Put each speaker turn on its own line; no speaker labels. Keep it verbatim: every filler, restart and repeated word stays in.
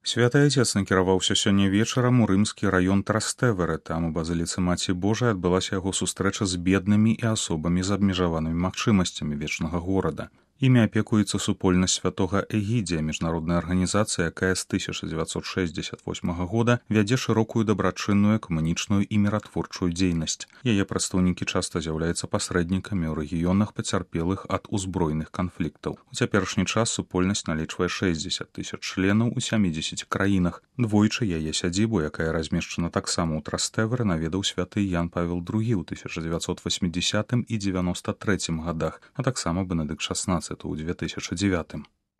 Святы Отец накіраваўся сёння вечарам у рымскі раён Трастэверы. Там у базыліцы Маці Божай адбылася яго сустрэча з беднымі і асобамі з абмежаванымі магчымасцямі вечнага горада. Імі апекуецца супольнасць святога Эгідзія, міжнародная арганізацыя, якая з тысяча дзевяцьсот шэсцьдзесят восьмага года вядзе шырокую дабрачынную, экумэнічную і міратворчую дзейнасць. Яе прадстаўнікі часта з'яўляюцца пасрэднікамі ў рэгіёнах пацярпелых ад узброеных канфліктаў. У цяперашні час супольнасць налічвае шэсцьдзесят тысяч членаў у сямідзесяці краінах. Двойчы яе сядзібу, якая размешчана таксама ў Трастэверы, наведаў святы Ян Павел другі ў тысяча дзевяцьсот васьмідзесятым і дзевяноста трэцім годах, а таксама Бенедыкт шаснаццаты ў две тысячы дзевятым.